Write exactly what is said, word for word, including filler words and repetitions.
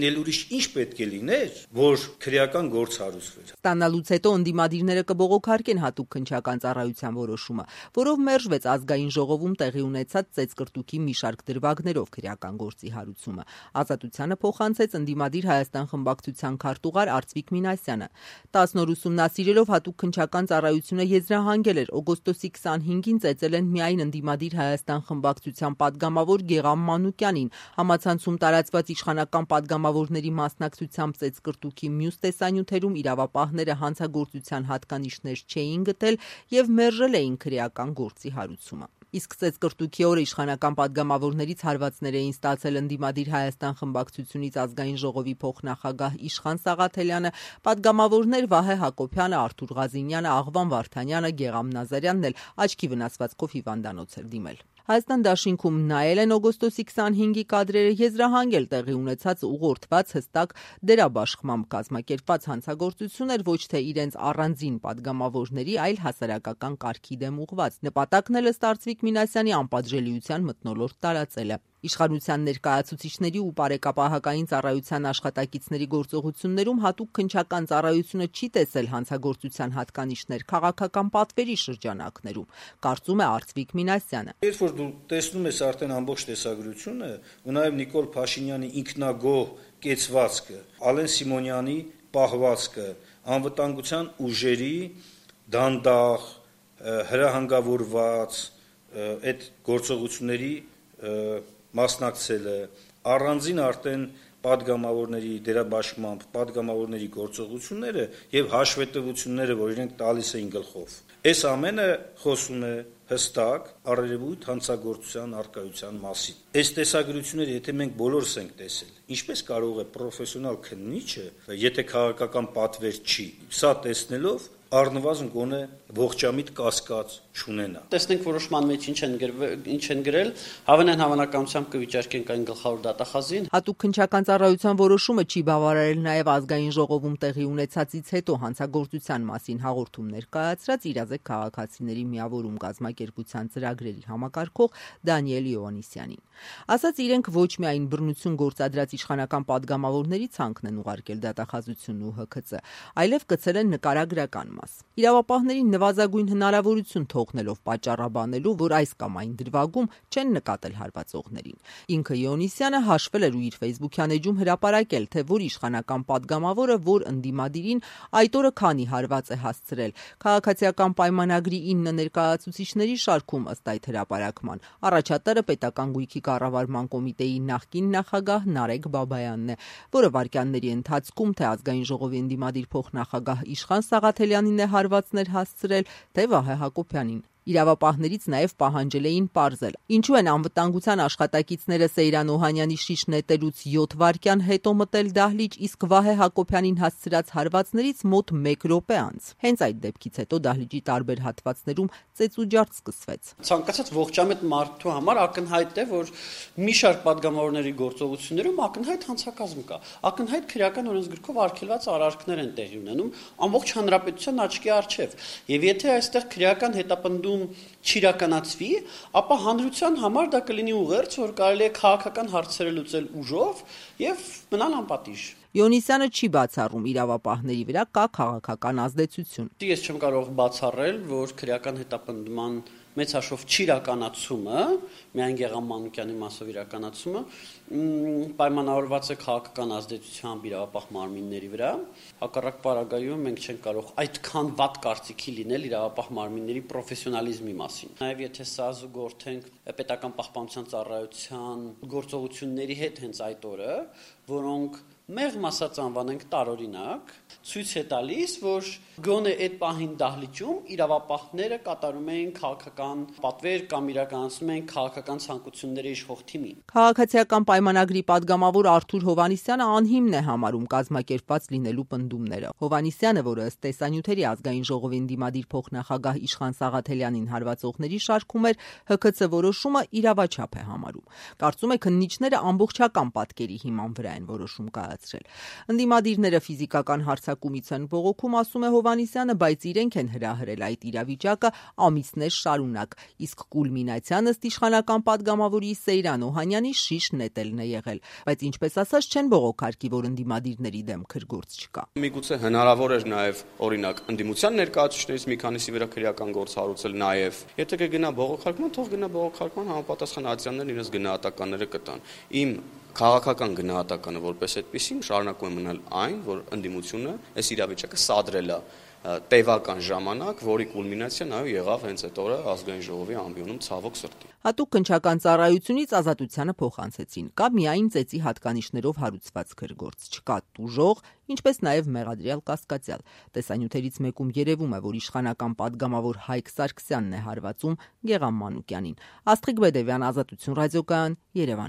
Էլ ուրիշ ինչ պետք է լիներ, որ քրեական գործ հարուցվեր։ Ստանալուց հետո ընդդիմադիրները կբողոքարկեն հատուկ քննչական ծառայության որոշումը, որով մերժվեց ազգային ժողովում տեղի ունեցած ծեծկրտուքի մի շարք դրվագներով քրեական գործի հարուցումը։ Ազատությանը փոխանցեց ընդդիմադիր Հայաստան խմբակցության քարտուղար Արծվիկ Մինասյանը։ տասն օր ուսումնասիրելով հատուկ քննչական ծառայությունը եզրահանգել էր օգոստոսի քսանհինգին ծեծել են միայն ընդդիմադիր Հայաստան խմբակցության падգամավոր Գեղամ Մանուկյանին, համացանցում տարածված իշխանական падգամավորների մասնակցությամբ ծեծկրտուքի մյուս տեսանյութերում իրավապահները հանցագործության հատկանիշներ չէին գտել եւ մերժել էին քրեական գործի հարուցումը։ Իսկ ծեծկրտուքի օրը իշխանական падգամավորներից հարվածներ էին ստացել ընդդիմադիր Հայաստան խմբակցությունից ազգային ժողովի փոխնախագահ Իշխան Սաղաթելյանը, падգամավորներ Վահե Հակոբյանը, Արթուր Ղազինյանը, Աղվան Վարդանյանը, Գեղամ Նազարյանն էլ աչքի վնասվածքով հիվանդանոց էր դիմել։ Հայաստան դաշինքում նայել են օգոստոսի քսանհինգի կադրերը, եզրահանգել տեղի ունեցած ուղղորդված հստակ դերաբաշխմամբ կազմակերպված հանցագործություն էր ոչ թե իրենց առանձին падգամավորների, այլ հասարակական կարգի դեմ ուղղված։ Նպատակն էլ ըստ Արծվիկ Մինասյանի անպատժելիության մթնոլորտ տարածելը։ Իշխանության ներկայացուցիչների ու բարեկապահական ծառայության աշխատակիցների գործողություններում հատուկ քննչական ծառայությունը չի տեսել հանցագործության հատկանիշներ քաղաքական պատվերի շրջանակներում, կարծում է Արծվիկ Մինասյանը։ Երբ որ դու տեսնում ես արդեն ամբողջ տեսագրությունը, ու նաև Նիկոլ Փաշինյանի ինքնագոհ կեցվածքը, Ալեն Սիմոնյանի պահվածքը, անվտանգության ուժերի դանդաղ, հրահանգավորված այդ գործողությունների մասնակցելը, առանձին արդեն падգամավորների դերաբաշխմամբ падգամավորների գործողությունները եւ հաշվետվությունները, որ իրենք տալիս էին գլխով։ Այս ամենը խոսում է հստակ առերևույթ հանցագործության արկայության մասին։ Այս տեսագրությունները, եթե մենք բոլորս ենք տեսել, ինչպես կարող է պրոֆեսիոնալ քննիչը, եթե քաղաքական պատվեր չի, սա տեսնելով առնվազն գոնե ողջամիտ կասկած չունենա։ Տեսնենք որոշման մեջ ինչ են ինչ են գրել, հավանեն հավանականությամբ կվիճարկենք այն գլխավոր դատախազին։ Հատուկ քննչական ծառայության որոշումը չի բավարարել նաև ազգային ժողովում տեղի ունեցածից հետո հանցագործության մասին հաղորդում ներկայացրած իրազեկ քաղաքացիների միավորում կազմակերպության ծրագրերի համակարգող Դանիել Իովանիսյանին։ Ասաց իրենք ոչ միայն բռնություն գործադրած իշխանական падգամավորների ցանկն են ուղարկել դատախազությունն ու Հ K C, այլև գցել են նկարագրական մաս։ Իրավապահներին նվազագույն հնարավորություն թողնելով պատճառաբանելու, որ այս կամ այն դրվագում չեն նկատել հարվածողներին։ Ինքը Իոնիսյանը հաշվել էր ու իր Facebook-յան էջում հրապարակել, թե որ իշխանական падգամավորը, որ ընդդիմադիրին այդ օրը քանի հարված է հասցրել։ Քաղաքացիական պայմանագրի ինը ներկայացուցիչների շարքում ըստ այդ հրապարակման առաջատարը պետական գույքի կառավարման կոմիտեի նախկին նախագահ Նարեկ Բաբայանն է, որը վարքյանների ընթացքում թե ազգային ժողովի ընդդիմադիր փոխնախագահ Իշխան Սաղաթելյանին է հարվածներ հասցրել, թե Վահե Հակոբյանին։ Իրավապահներից նաև պահանջել էին պարզել, ինչու են անվտանգության աշխատակիցները Սեյրան Օհանյանի շիշ նետելուց յոթ վայրկյան հետո մտել դահլիճ, իսկ Վահե Հակոբյանին հասցրած հարվածներից մոտ մեկ րոպե անց։ Հենց այդ դեպքից հետո դահլիճի տարբեր հատվածներում ծեծուջարդ սկսվեց։ Ցանկացած ողջամիտ մարդու համար ակնհայտ է, որ մի շարք падգամավորների գործողություններում ակնհայտ հանցակազմ կա, ակնհայտ քրեական օրենսգրքով արգելված արարքներ են տեղի ունենում ամբողջ հանրապետության աչքի առջև։ Եվ եթե այստեղ քրեական հետապնդում չիրականացվի, ապա հանրության համար դա կլինի ուղերձ, որ կարելի է քաղաքական հարցերը լուծել ուժով եւ մնալ անպատիժ։ Իոնիսյանը չի բացառում իրավապահների վրա կա քաղաքական ազդեցություն։ Ես չեմ կարող բացառել, որ քրեական հետապնդման մեծ հաշվով չիրականացումը, միայն Գեղամ Մանուկյանի մասով իրականացումը, պայմանավորված է քաղաքական ազդեցությամբ իրավապահ մարմինների վրա։ Հակառակ պարագայում մենք չենք կարող այդքան վատ կարծիքի լինել իրավապահ մարմինների պրոֆեսիոնալիզմի մասին։ Նաև եթե սա զուգորդենք պետական պահպանության ծառայության գործողությունների հետ հենց այդ օրը, որոնք մեղմ ասած անվանենք տարօրինակ, ցույց է տալիս, որ գոնե այդ պահին դահլիճում իրավապահները կատարում էին քաղաքական պատվեր կամ իրականացնում էին քաղաքական ցանկությունների իշխող թիմին։ Քաղաքացիական պայմանագրի падգամավոր Արթուր Հովհաննիսյանը անհիմն է համարում կազմակերպված լինելու պնդումները։ Հովհաննիսյանը, որը ըստ տեսանյութերի ազգային ժողովի ընդդիմադիր փոխնախագահ Իշխան Սաղաթելյանին հարվածողների շարքում էր, Հ K C որոշումը իրավաչափ է համարում։ Կարծում է քննիչները ամբողջական պատկերի հիման վրա են որոշում կայացրել։ ներկայացրել։ Ընդդիմադիրները ֆիզիկական հարձակումից են բողոքում, ասում է Հովհաննիսյանը, բայց իրենք են հրահրել այդ իրավիճակը ամիսներ շարունակ, իսկ կուլմինացիան ըստ իշխանական падգամավորի Սեյրան Օհանյանի շիշ նետելն է եղել, բայց ինչպես ասած չեն բողոքարկի, որ ընդդիմադիրների դեմ քրգործ չկա։ Միգուցե հնարավոր էր նաև օրինակ ընդդիմության ներկայացուցիչներից մի քանիսի վրա քրեական գործ հարուցել նաև։ Եթե կգնա բողոքարկման, թող գնա բողոքարկման, համապատասխան ադիացիաներն իրենց գնահատականները կտան։ Իմ քաղաքական գնահատականը որպես այդպեսին շարունակում է մնալ այն, որ ընդդիմությունը այս իրավիճակը սադրել է տևական ժամանակ, որի կուլմինացիան այո եղավ հենց այդ օրը ազգային ժողովի ամբիոնում ցավոք սրտի։ Հատուկ քննչական ծառայությունից Ազատությանը փոխանցեցին, կա միայն ծեծի հատկանիշներով հարուցված քրգործ, չկա տուժող, ինչպես նաև մեղադրյալ կասկածյալ։ Տեսանյութերից մեկում երևում է, որ իշխանական падգամավոր Հայկ Սարգսյանն է հարվածում Գեղամ Մանուկյանին։ Աստղիկ Բեդևյան, Ազատություն ռադիոկայան, Երևան։